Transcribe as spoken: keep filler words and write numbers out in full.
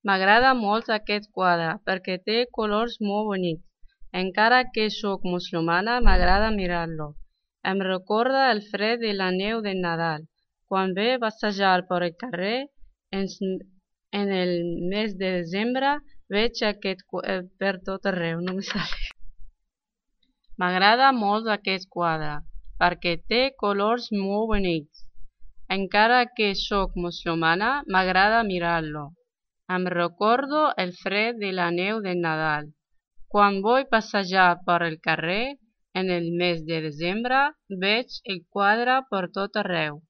M'agrada molt aquest quadre perquè té colors molt bonics. Encara que sóc musulmana, m'agrada mirar-lo. Em recorda el fred i la neu de Nadal. Quan ve passejar per el carrer, en el mes de desembre, veig aquest quadre per tot arreu. No me sale. M'agrada molt aquest quadre perquè té colors molt bonics. Encara que sóc musulmana, m'agrada mirar-lo. Em recordo el fred i la neu de Nadal. Quan vull passejar per el carrer, en el mes de desembre, veig el quadre per tot arreu.